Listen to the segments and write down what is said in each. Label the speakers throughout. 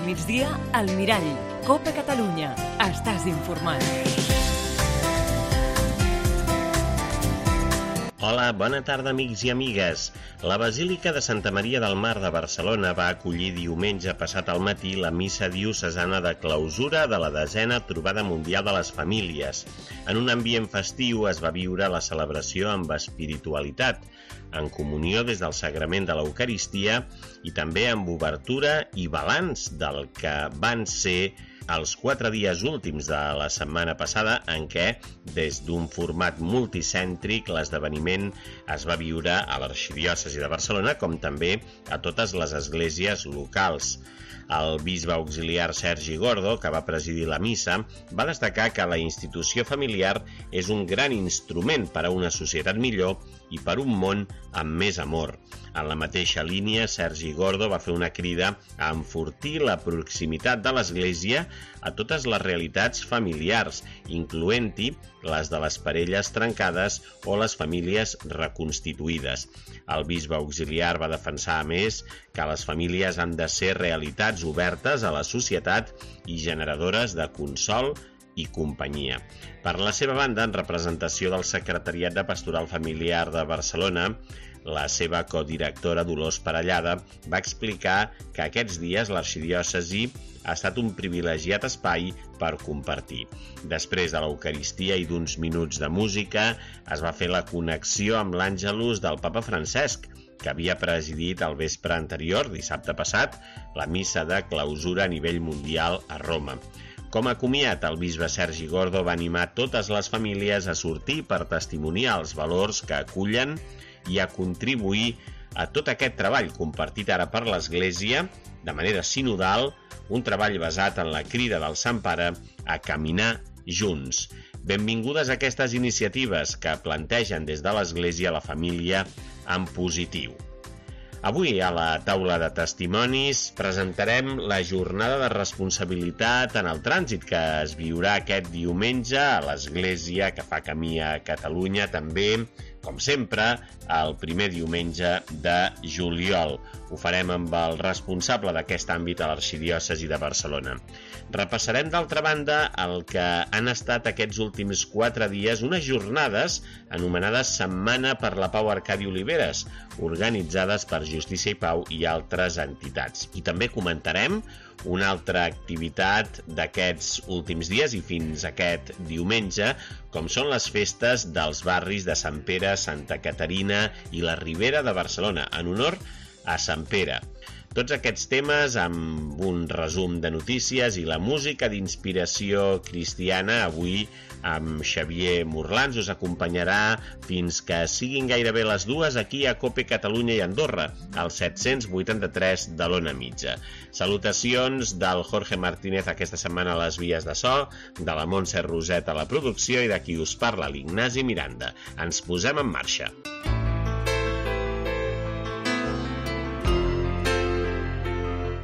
Speaker 1: migdia, al Mirall. Copa Catalunya. Estàs informat.
Speaker 2: Hola, bona tarda, amics i amigues. La Basílica de Santa Maria del Mar de Barcelona va acollir diumenge passat al matí la missa diocesana de clausura de la 10a Trobada Mundial de les Famílies. En un ambient festiu es va viure la celebració amb espiritualitat, en comunió des del sagrament de l'Eucaristia i també amb obertura i balanç del que van ser els 4 dies últims de la setmana passada en què, des d'un format multicèntric, l'esdeveniment es va viure a l'Arxidiòcesi de Barcelona com també a totes les esglésies locals. El bisbe auxiliar Sergi Gordo, que va presidir la missa, va destacar que la institució familiar és un gran instrument per a una societat millor i per un món amb més amor. En la mateixa línia, Sergi Gordo va fer una crida a enfortir la proximitat de l'Església a totes les realitats familiars, incloent-hi les de les parelles trencades o les famílies reconstituïdes. El bisbe auxiliar va defensar, a més, que les famílies han de ser realitats obertes a la societat i generadores de consol i companyia. Per la seva banda, en representació del Secretariat de Pastoral Familiar de Barcelona, la seva codirectora Dolors Parellada va explicar que aquests dies l'arxidiòcesi ha estat un privilegiat espai per compartir. Després de l'Eucaristia i d'uns minuts de música, es va fer la connexió amb l'Àngelus del Papa Francesc, que havia presidit el vespre anterior, dissabte passat, la missa de clausura a nivell mundial a Roma. Com a comiat, el bisbe Sergi Gordo va animar totes les famílies a sortir per testimoniar els valors que acullen i a contribuir a tot aquest treball compartit ara per l'Església, de manera sinodal, un treball basat en la crida del Sant Pare a caminar junts. Benvingudes a aquestes iniciatives que plantegen des de l'Església la família en positiu. Avui, a la taula de testimonis, presentarem la jornada de responsabilitat en el trànsit que es viurà aquest diumenge a l'Església que fa camí a Catalunya, també, com sempre, el primer diumenge de juliol. Ho farem amb el responsable d'aquest àmbit a l'Arxidiòcesi de Barcelona. Repassarem, d'altra banda, el que han estat aquests últims 4 dies unes jornades anomenades Setmana per la Pau Arcadi Oliveres, organitzades per Justícia i Pau i altres entitats. I també comentarem una altra activitat d'aquests últims dies i fins aquest diumenge, com són les festes dels barris de Sant Pere, Santa Caterina i la Ribera de Barcelona, en honor a Sant Pere. Tots aquests temes amb un resum de notícies i la música d'inspiració cristiana avui amb Xavier Morlans us acompanyarà fins que siguin gairebé les 2 aquí a Copa Catalunya i Andorra, al 783 de l'Ona Mitja. Salutacions del Jorge Martínez aquesta setmana a les vies de so, de la Montse Roset a la producció i de qui us parla l'Ignasi Miranda. Ens posem en marxa.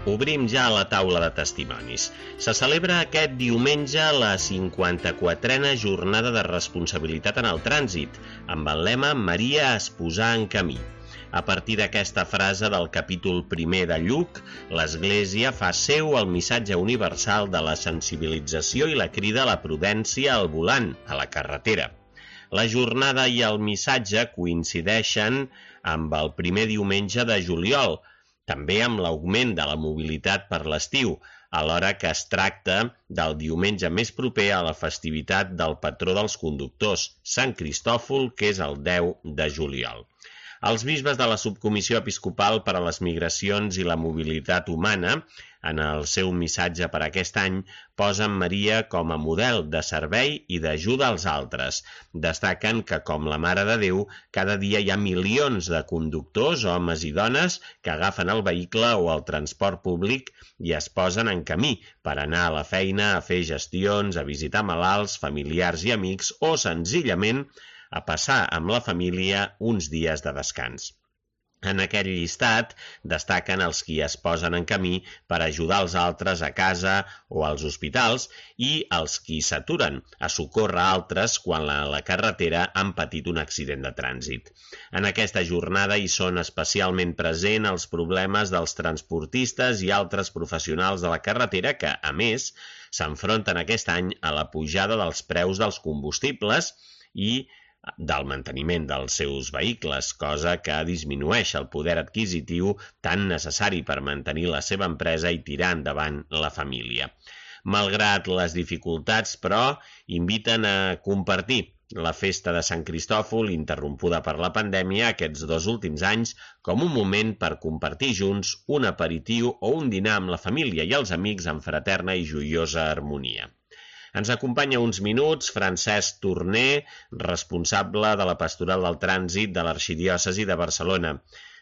Speaker 2: Obrim ja la taula de testimonis. Se celebra aquest diumenge la 54a jornada de responsabilitat en el trànsit, amb el lema Maria es posà en camí. A partir d'aquesta frase del capítol 1 de Lluc, l'Església fa seu el missatge universal de la sensibilització i la crida a la prudència al volant, a la carretera. La jornada i el missatge coincideixen amb el primer diumenge de juliol, també amb l'augment de la mobilitat per l'estiu, alhora que es tracta del diumenge més proper a la festivitat del patró dels conductors, Sant Cristòfol, que és el 10 de juliol. Els bisbes de la Subcomissió Episcopal per a les Migracions i la Mobilitat Humana, en el seu missatge per aquest any, posen Maria com a model de servei i d'ajuda als altres. Destaquen que, com la Mare de Déu, cada dia hi ha milions de conductors, homes i dones, que agafen el vehicle o el transport públic i es posen en camí per anar a la feina, a fer gestions, a visitar malalts, familiars i amics o, senzillament, a passar amb la família uns dies de descans. En aquest llistat destaquen els qui es posen en camí per ajudar els altres a casa o als hospitals i els qui s'aturen a socórrer altres quan a la carretera han patit un accident de trànsit. En aquesta jornada hi són especialment presents els problemes dels transportistes i altres professionals de la carretera que, a més, s'enfronten aquest any a la pujada dels preus dels combustibles i del manteniment dels seus vehicles, cosa que disminueix el poder adquisitiu tan necessari per mantenir la seva empresa i tirar endavant la família. Malgrat les dificultats, però, inviten a compartir la festa de Sant Cristòfol, interrompuda per la pandèmia aquests 2 últims anys, com un moment per compartir junts un aperitiu o un dinar amb la família i els amics en fraterna i joiosa harmonia. Ens acompanya uns minuts Francesc Torner, responsable de la Pastoral del Trànsit de l'Arxidiòcesi de Barcelona.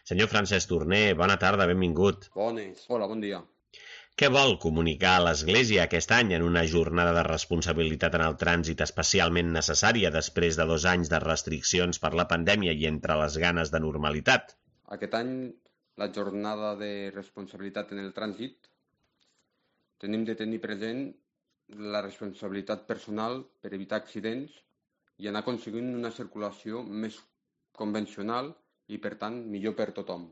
Speaker 2: Senyor Francesc Torner, bona tarda, benvingut.
Speaker 3: Bones. Hola, bon dia.
Speaker 2: Què vol comunicar a l'Església aquest any en una jornada de responsabilitat en el trànsit especialment necessària després de 2 anys de restriccions per la pandèmia i entre les ganes de normalitat?
Speaker 3: Aquest any, la jornada de responsabilitat en el trànsit, tenim de tenir present la responsabilitat personal per evitar accidents i anar aconseguint una circulació més convencional i, per tant, millor per tothom.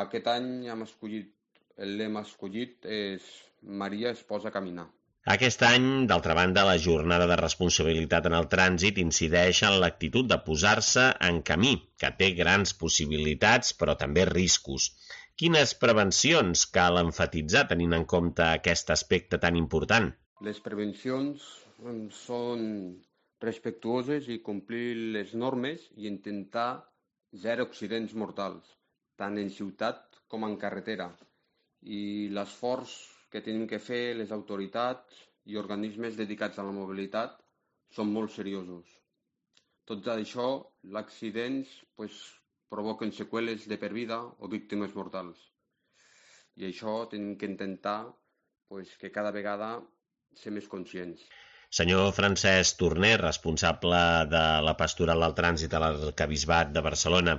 Speaker 3: Aquest any el lema escollit és Maria es posa a caminar.
Speaker 2: Aquest any, d'altra banda, la jornada de responsabilitat en el trànsit incideix en l'actitud de posar-se en camí, que té grans possibilitats però també riscos. Quines prevencions cal emfatitzar tenint en compte aquest aspecte tan important?
Speaker 3: Les prevencions són respectuoses i complir les normes i intentar zero accidents mortals, tant en ciutat com en carretera. I l'esforç que tenim que fer les autoritats i organismes dedicats a la mobilitat són molt seriosos. Tot això, els accidents provoquen seqüeles de per vida o víctimes mortals. I això tenim que intentar que cada vegada ser més conscients.
Speaker 2: Senyor Francesc Torner, responsable de la Pastoral del Trànsit a l'Arquebisbat de Barcelona,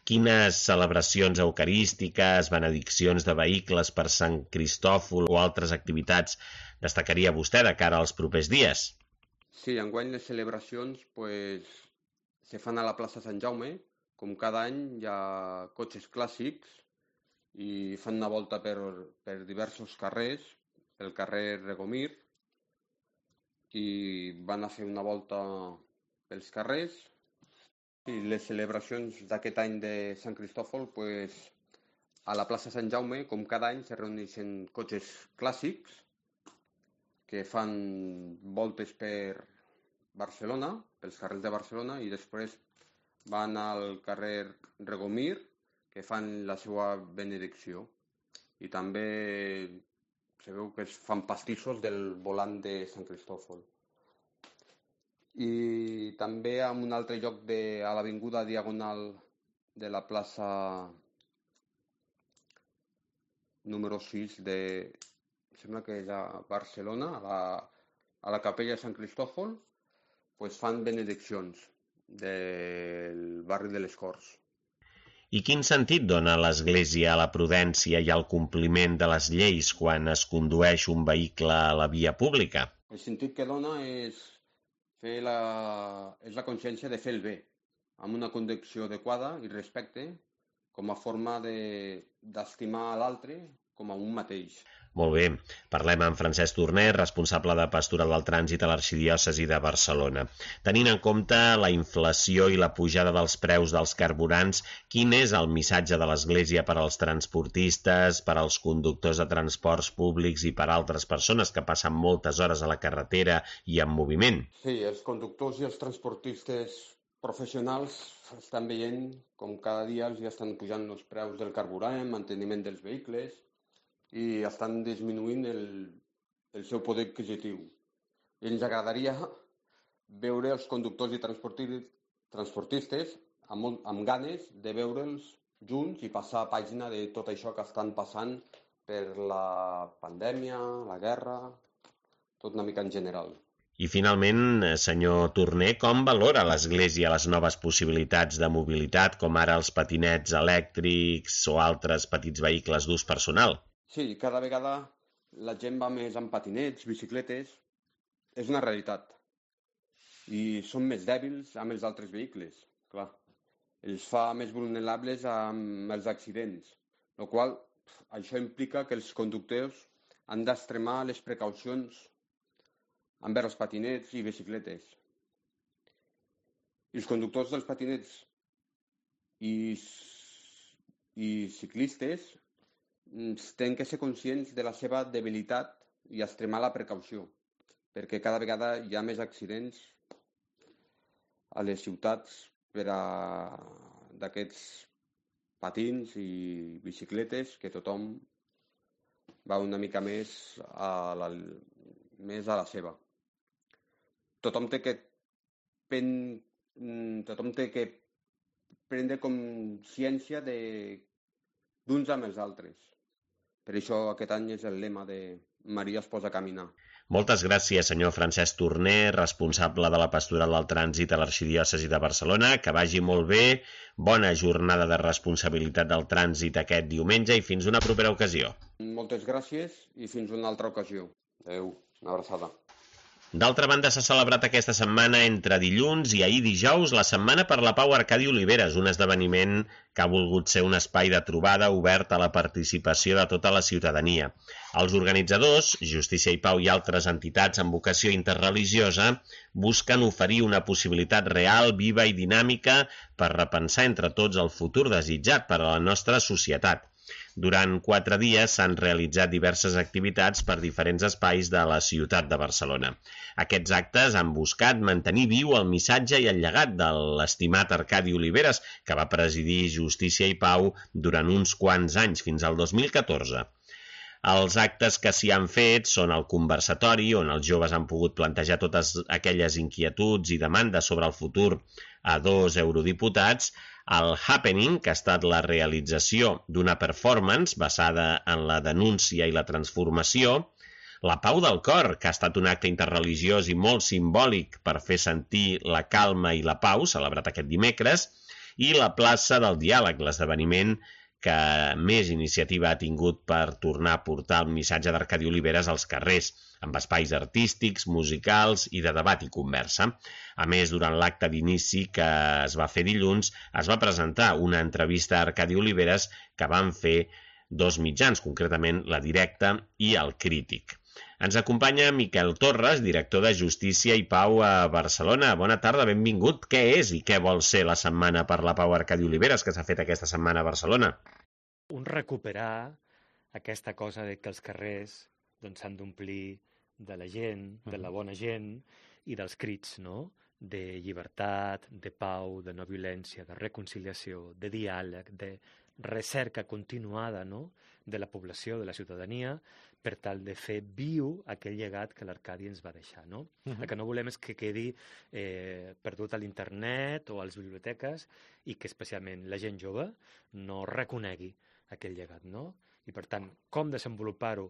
Speaker 2: quines celebracions eucarístiques, benediccions de vehicles per Sant Cristòfol o altres activitats destacaria vostè de cara als propers dies?
Speaker 3: Sí, enguany les celebracions se fan a la plaça Sant Jaume. Com cada any hi ha cotxes clàssics i fan una volta per diversos carrers, pel carrer Regomir, i van a fer una volta pels carrers. I les celebracions d'aquest any de Sant Cristòfol, a la plaça Sant Jaume, com cada any, se reuneixen cotxes clàssics que fan voltes per Barcelona, pels carrers de Barcelona, i després van al carrer Regomir, que fan la seva benedicció. I també se veu que es fan pastissos del volant de Sant Cristòfol. I també en un altre lloc a l'avinguda Diagonal de la plaça número 6 sembla que és a Barcelona, a la capella de Sant Cristòfol, fan benediccions del barri de les Corts.
Speaker 2: I quin sentit dona l'Església a la prudència i al compliment de les lleis quan es condueix un vehicle a la via pública?
Speaker 3: El sentit que dona és la consciència de fer el bé, amb una conducció adequada i respecte, com a forma d'estimar l'altre com a un mateix.
Speaker 2: Molt bé. Parlem amb Francesc Torner, responsable de Pastoral del Trànsit a l'Arxidiòcesi de Barcelona. Tenint en compte la inflació i la pujada dels preus dels carburants, quin és el missatge de l'Església per als transportistes, per als conductors de transports públics i per a altres persones que passen moltes hores a la carretera i en moviment?
Speaker 3: Sí, els conductors i els transportistes professionals estan veient com cada dia els estan pujant els preus del carburant, manteniment dels vehicles, i estan disminuint el seu poder adquisitiu. I ens agradaria veure els conductors i transportistes amb ganes de veure'ls junts i passar a pàgina de tot això que estan passant per la pandèmia, la guerra, tot una mica en general.
Speaker 2: I finalment, senyor Torner, com valora l'Església les noves possibilitats de mobilitat, com ara els patinets elèctrics o altres petits vehicles d'ús personal?
Speaker 3: Sí, cada vegada la gent va més amb patinets, bicicletes, és una realitat. I són més dèbils amb els altres vehicles, clar. Els fa més vulnerables amb els accidents, el qual això implica que els conductors han d'extremar les precaucions envers els patinets i bicicletes. I els conductors dels patinets i ciclistes tenen que ser conscients de la seva debilitat i extremar la precaució, perquè cada vegada hi ha més accidents a les ciutats d'aquests patins i bicicletes, que tothom va una mica més a la seva. Tothom té que prendre consciència d'uns amb els altres. Per això aquest any és el lema de Maria es posa a caminar.
Speaker 2: Moltes gràcies, senyor Francesc Torner, responsable de la Pastoral del Trànsit a l'Arxidiòcesi de Barcelona. Que vagi molt bé, bona jornada de responsabilitat del trànsit aquest diumenge i fins una propera ocasió.
Speaker 3: Moltes gràcies i fins una altra ocasió. Adéu, una abraçada.
Speaker 2: D'altra banda, s'ha celebrat aquesta setmana entre dilluns i ahir dijous la Setmana per la Pau Arcadi Oliveres, un esdeveniment que ha volgut ser un espai de trobada obert a la participació de tota la ciutadania. Els organitzadors, Justícia i Pau i altres entitats amb vocació interreligiosa, busquen oferir una possibilitat real, viva i dinàmica per repensar entre tots el futur desitjat per a la nostra societat. Durant 4 dies s'han realitzat diverses activitats per diferents espais de la ciutat de Barcelona. Aquests actes han buscat mantenir viu el missatge i el llegat de l'estimat Arcadi Oliveres, que va presidir Justícia i Pau durant uns quants anys, fins al 2014. Els actes que s'hi han fet són el conversatori, on els joves han pogut plantejar totes aquelles inquietuds i demandes sobre el futur a 2 eurodiputats, el Happening, que ha estat la realització d'una performance basada en la denúncia i la transformació, la Pau del Cor, que ha estat un acte interreligiós i molt simbòlic per fer sentir la calma i la pau, celebrat aquest dimecres, i la plaça del Diàleg, l'esdeveniment que més iniciativa ha tingut per tornar a portar el missatge d'Arcadi Oliveres als carrers, amb espais artístics, musicals i de debat i conversa. A més, durant l'acte d'inici que es va fer dilluns, es va presentar una entrevista a Arcadi Oliveres que van fer 2 mitjans, concretament La Directa i El Crític. Ens acompanya Miquel Torres, director de Justícia i Pau a Barcelona. Bona tarda, benvingut. Què és i què vol ser la Setmana per la Pau Arcadi Oliveres que s'ha fet aquesta setmana a Barcelona?
Speaker 4: Recuperar aquesta cosa de que els carrers s'han d'omplir de la gent, de la bona gent i dels crits, no? De llibertat, de pau, de no violència, de reconciliació, de diàleg, de recerca continuada, no? De la població, de la ciutadania, per tal de fer viu aquell llegat que l'Arcadi ens va deixar, no? El que no volem és que quedi perdut a l'internet o a les biblioteques i que especialment la gent jove no reconegui aquell llegat, no? I per tant, com desenvolupar-ho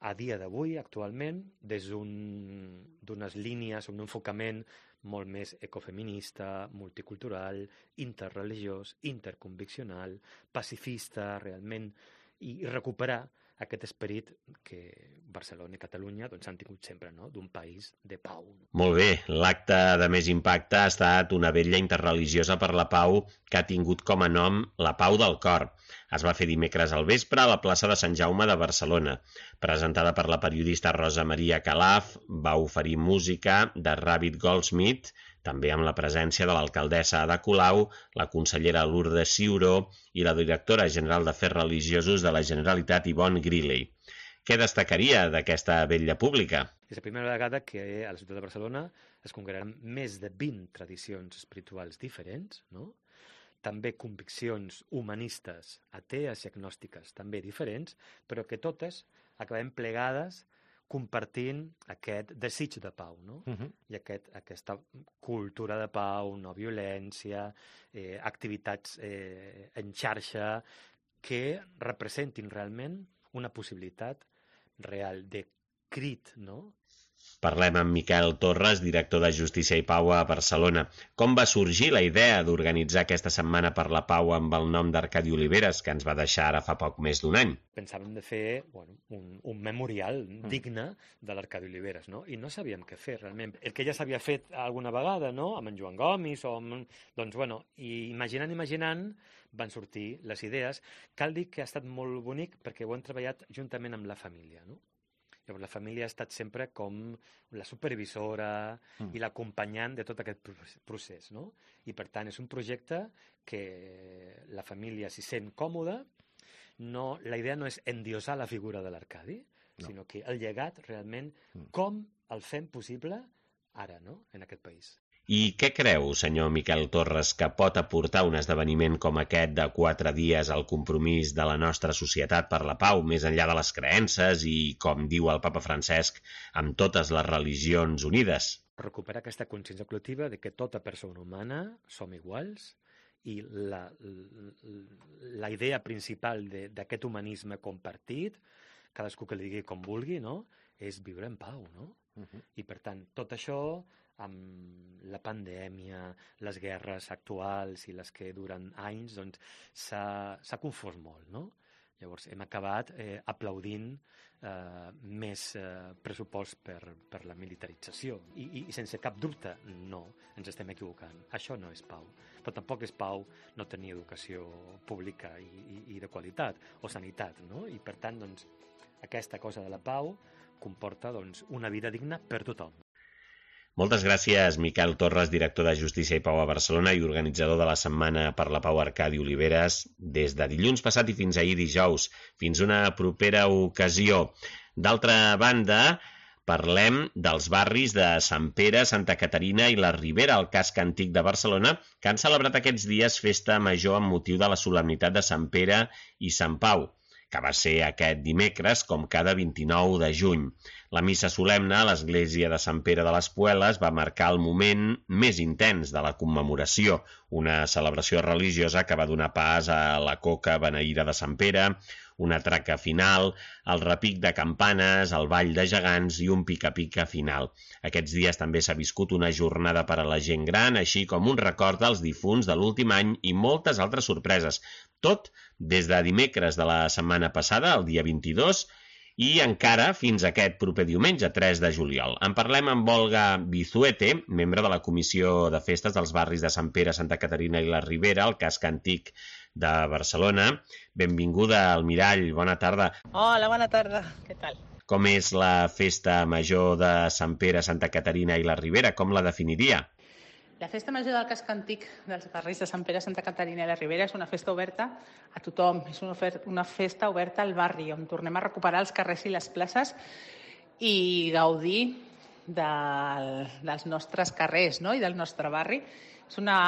Speaker 4: a dia d'avui, actualment, des d'unes línies, un enfocament molt més ecofeminista, multicultural, interreligiós, interconviccional, pacifista, realment, i recuperar aquest esperit que Barcelona i Catalunya han tingut sempre, no? D'un país de pau.
Speaker 2: Molt bé, l'acte de més impacte ha estat una vetlla interreligiosa per la pau que ha tingut com a nom la Pau del Cor. Es va fer dimecres al vespre a la plaça de Sant Jaume de Barcelona. Presentada per la periodista Rosa Maria Calaf, va oferir música de Rabbit Goldsmith, també amb la presència de l'alcaldessa Ada Colau, la consellera Lourdes Ciuró i la directora general d'Afers Religiosos de la Generalitat, Yvonne Griley. Què destacaria d'aquesta vetlla pública?
Speaker 4: És la primera vegada que a la ciutat de Barcelona es congregaran més de 20 tradicions espirituals diferents, no? També conviccions humanistes, atees i agnòstiques, també diferents, però que totes acabem plegades compartint aquest desig de pau, no? I aquesta cultura de pau, no violència, activitats en xarxa que representin realment una possibilitat real de crit, no?
Speaker 2: Parlem amb Miquel Torres, director de Justícia i Pau a Barcelona. Com va sorgir la idea d'organitzar aquesta Setmana per la Pau amb el nom d'Arcadi Oliveres, que ens va deixar ara fa poc més d'un any?
Speaker 4: Pensàvem de fer un memorial digne de l'Arcadi Oliveres, no? I no sabíem què fer, realment. El que ja s'havia fet alguna vegada, no?, amb en Joan Gomis, doncs, i imaginant, van sortir les idees. Cal dir que ha estat molt bonic perquè ho hem treballat juntament amb la família, no? Llavors, la família ha estat sempre com la supervisora i l'acompanyant de tot aquest procés, no? I, per tant, és un projecte que la família s'hi sent còmoda. La idea no és endiosar la figura de l'Arcadi, sinó que el llegat, realment, com el fem possible ara, no?, en aquest país.
Speaker 2: I què creu, senyor Miquel Torres, que pot aportar un esdeveniment com aquest de 4 dies al compromís de la nostra societat per la pau, més enllà de les creences i, com diu el papa Francesc, amb totes les religions unides?
Speaker 4: Recuperar aquesta consciència col·lectiva de que tota persona humana som iguals i la idea principal d'aquest humanisme compartit, cadascú que li digui com vulgui, no?, és viure en pau, no? I, per tant, tot això, amb la pandèmia, les guerres actuals i les que duren anys, doncs s'ha confós molt, no? Llavors hem acabat aplaudint més pressupost per la militarització i sense cap dubte, no, ens estem equivocant. Això no és pau. Però tampoc és pau no tenir educació pública i de qualitat, o sanitat, no? I per tant, doncs, aquesta cosa de la pau comporta una vida digna per tothom.
Speaker 2: Moltes gràcies, Miquel Torres, director de Justícia i Pau a Barcelona i organitzador de la Setmana per la Pau Arcadi Oliveres, des de dilluns passat i fins ahir dijous. Fins una propera ocasió. D'altra banda, parlem dels barris de Sant Pere, Santa Caterina i la Ribera, al casc antic de Barcelona, que han celebrat aquests dies festa major amb motiu de la solemnitat de Sant Pere i Sant Pau, que va ser aquest dimecres, com cada 29 de juny. La missa solemne a l'església de Sant Pere de les Pueles va marcar el moment més intens de la commemoració, una celebració religiosa que va donar pas a la coca beneïda de Sant Pere, una traca final, el repic de campanes, el ball de gegants i un pica-pica final. Aquests dies també s'ha viscut una jornada per a la gent gran, així com un record dels difunts de l'últim any i moltes altres sorpreses. Tot des de dimecres de la setmana passada, el dia 22, i encara fins aquest proper diumenge, 3 de juliol. En parlem amb Olga Bizuete, membre de la Comissió de Festes dels barris de Sant Pere, Santa Caterina i la Ribera, al casc antic de Barcelona. Benvinguda al Mirall, bona tarda.
Speaker 5: Hola, bona tarda, què tal?
Speaker 2: Com és la festa major de Sant Pere, Santa Caterina i la Ribera? Com la definiria?
Speaker 5: La festa major del casc antic dels barris de Sant Pere, Santa Caterina i la Ribera és una festa oberta a tothom, és una festa oberta al barri, on tornem a recuperar els carrers i les places i gaudir dels nostres carrers, no?, i del nostre barri. És una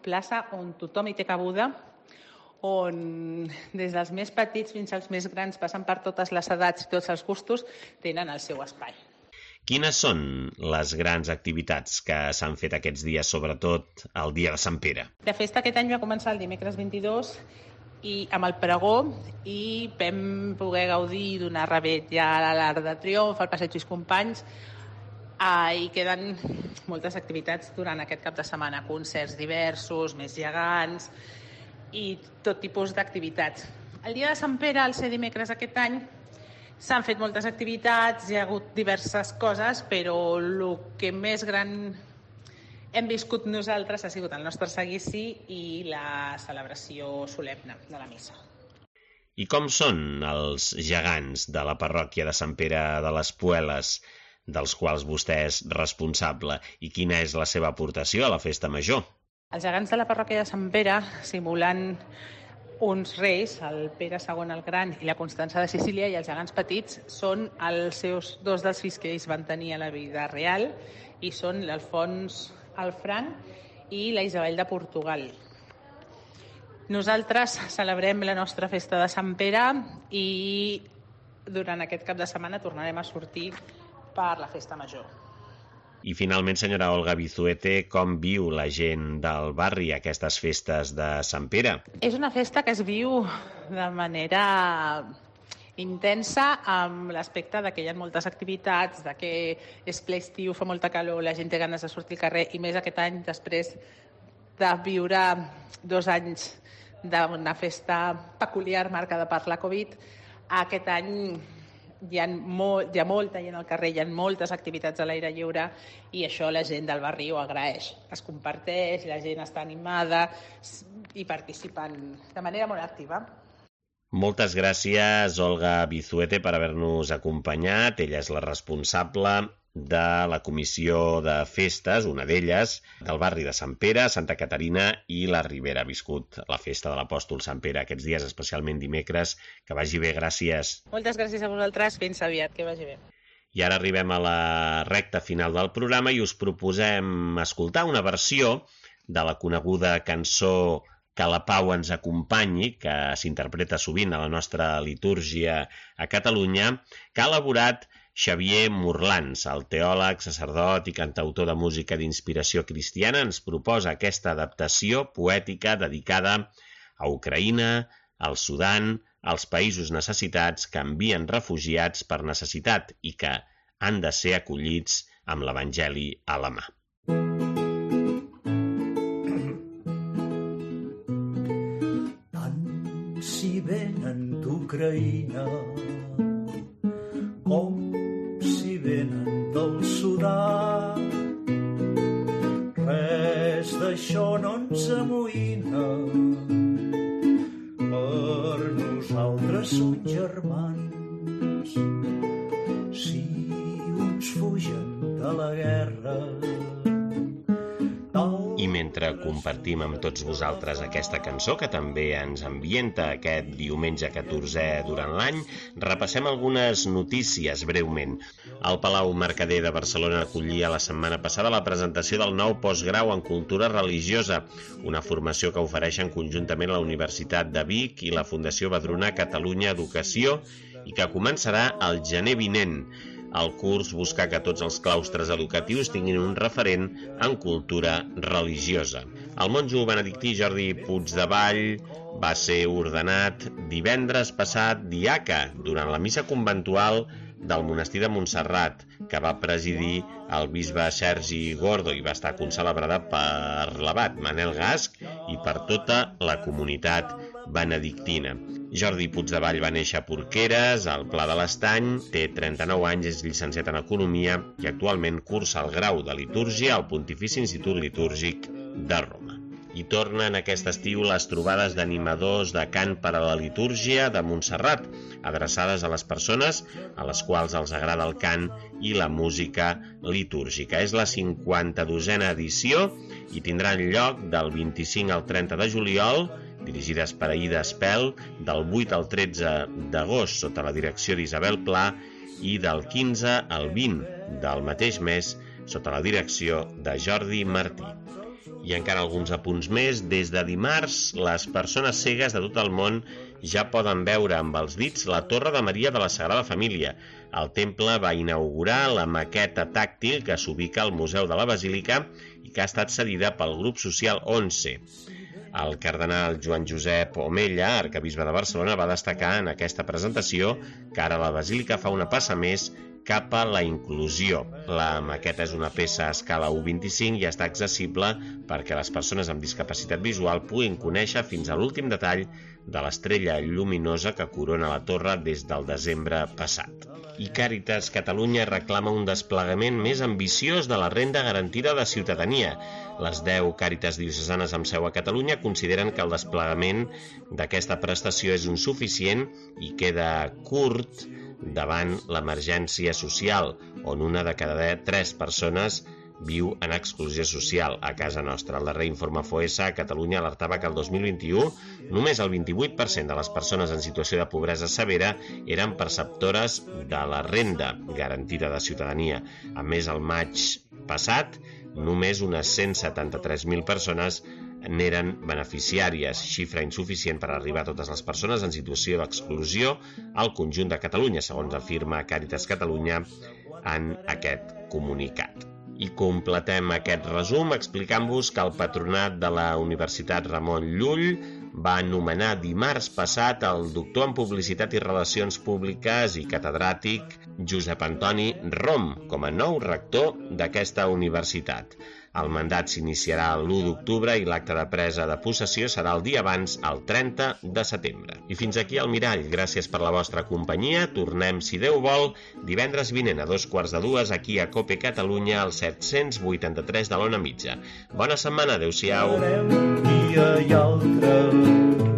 Speaker 5: plaça on tothom hi té cabuda, on des dels més petits fins als més grans, passant per totes les edats i tots els gustos, tenen el seu espai.
Speaker 2: Quines són les grans activitats que s'han fet aquests dies, sobretot el dia de Sant Pere?
Speaker 5: La festa aquest any va començar el dimecres 22 i amb el pregó i vam poder gaudir i donar revetlla a l'Arc de Triomf, al Passeig Lluís Companys, i queden moltes activitats durant aquest cap de setmana, concerts diversos, més gegants i tot tipus d'activitats. El dia de Sant Pere, al ser dimecres aquest any, s'han fet moltes activitats, hi ha hagut diverses coses, però el que més gran hem viscut nosaltres ha sigut el nostre seguici i la celebració solemne de la missa.
Speaker 2: I com són els gegants de la parròquia de Sant Pere de les Pueles, dels quals vostè és responsable, i quina és la seva aportació a la festa major?
Speaker 5: Els gegants de la parròquia de Sant Pere, simulant uns reis, el Pere II el Gran i la Constança de Sicília, i els gegants petits són els seus dos dels fills que ells van tenir a la vida real, i són l'Alfons el Franc i la Isabel de Portugal. Nosaltres celebrem la nostra festa de Sant Pere i durant aquest cap de setmana tornarem a sortir per la festa major.
Speaker 2: I finalment, senyora Olga Bizuete, com viu la gent del barri aquestes festes de Sant Pere?
Speaker 5: És una festa que es viu de manera intensa amb l'aspecte de que hi ha moltes activitats, de que és ple estiu, fa molta calor, la gent té ganes de sortir al carrer, i més aquest any, després de viure 2 anys d'una festa peculiar marcada per la Covid, aquest any hi ha molta gent al carrer, hi ha moltes activitats a l'aire lliure i això la gent del barri ho agraeix. Es comparteix, la gent està animada i participen de manera molt activa.
Speaker 2: Moltes gràcies, Olga Vizuete, per haver-nos acompanyat. Ella és la responsable de la comissió de festes, una d'elles, del barri de Sant Pere, Santa Caterina i la Ribera. Ha viscut la festa de l'Apòstol Sant Pere aquests dies, especialment dimecres. Que vagi bé, gràcies.
Speaker 5: Moltes gràcies a vosaltres, fins aviat, que vagi bé.
Speaker 2: I ara arribem a la recta final del programa i us proposem escoltar una versió de la coneguda cançó Que la Pau ens acompanyi, que s'interpreta sovint a la nostra litúrgia a Catalunya, que ha elaborat Xavier Morlans, el teòleg, sacerdot i cantautor de música d'inspiració cristiana, ens proposa aquesta adaptació poètica dedicada a Ucraïna, al Sudan, als països necessitats que envien refugiats per necessitat i que han de ser acollits amb l'Evangeli a la mà.
Speaker 6: Tant si venen d'Ucraïna com si venen del Sudan, res d'això no ens amoïna, per nosaltres som germans. Si uns fugen de la guerra,
Speaker 2: i mentre compartim amb tots vosaltres aquesta cançó, que també ens ambienta aquest diumenge 14è durant l'any, repassem algunes notícies breument. El Palau Mercader de Barcelona acollia la setmana passada la presentació del nou postgrau en cultura religiosa, una formació que ofereixen conjuntament la Universitat de Vic i la Fundació Badruna Catalunya Educació i que començarà el gener vinent. El curs busca que tots els claustres educatius tinguin un referent en cultura religiosa. El monjo benedictí Jordi Puigdevall va ser ordenat divendres passat diaca durant la missa conventual del monestir de Montserrat, que va presidir el bisbe Sergi Gordo i va estar concelebrada per l'abat Manel Gasch i per tota la comunitat benedictina. Jordi Puigdevall va néixer a Porqueres, al Pla de l'Estany, té 39 anys, és llicenciat en Economia i actualment cursa el grau de Litúrgia al Pontifici Institut Litúrgic de Roma. I tornen aquest estiu les trobades d'animadors de cant per a la litúrgia de Montserrat, adreçades a les persones a les quals els agrada el cant i la música litúrgica. És la 52a edició i tindrà lloc del 25 al 30 de juliol, dirigides per Aida Espel, del 8 al 13 d'agost sota la direcció d'Isabel Pla i del 15 al 20 del mateix mes sota la direcció de Jordi Martí. I encara alguns apunts més. Des de dimarts, les persones cegues de tot el món ja poden veure amb els dits la Torre de Maria de la Sagrada Família. El temple va inaugurar la maqueta tàctil que s'ubica al Museu de la Basílica i que ha estat cedida pel grup social 11. El cardenal Joan Josep Omella, arquebisbe de Barcelona, va destacar en aquesta presentació que ara la Basílica fa una passa més cap a la inclusió. La maqueta és una peça a escala 1:25 i està accessible perquè les persones amb discapacitat visual puguin conèixer fins a l'últim detall de l'estrella lluminosa que corona la torre des del desembre passat. I Càritas Catalunya reclama un desplegament més ambiciós de la renda garantida de ciutadania. Les 10 Càritas diocesanes amb seu a Catalunya consideren que el desplegament d'aquesta prestació és insuficient i queda curt davant l'emergència social, on una de cada 3 persones viu en exclusió social a casa nostra. El darrer informe FOESA a Catalunya alertava que el 2021 només el 28% de les persones en situació de pobresa severa eren perceptores de la renda garantida de ciutadania. A més, el maig passat, només unes 173.000 persones n'eren beneficiàries, xifra insuficient per arribar a totes les persones en situació d'exclusió al conjunt de Catalunya, segons afirma Càritas Catalunya en aquest comunicat. I completem aquest resum explicant-vos que el Patronat de la Universitat Ramon Llull va nomenar dimarts passat el doctor en Publicitat i Relacions Públiques i catedràtic Josep Antoni Rom com a nou rector d'aquesta universitat. El mandat s'iniciarà l'1 d'octubre i l'acte de presa de possessió serà el dia abans, el 30 de setembre. I fins aquí el Mirall. Gràcies per la vostra companyia. Tornem, si Déu vol, divendres vinent a 2:45 aquí a COPE Catalunya, al 783 de l'Ona Mitja. Bona setmana, adeu-siau.
Speaker 6: Un dia i altre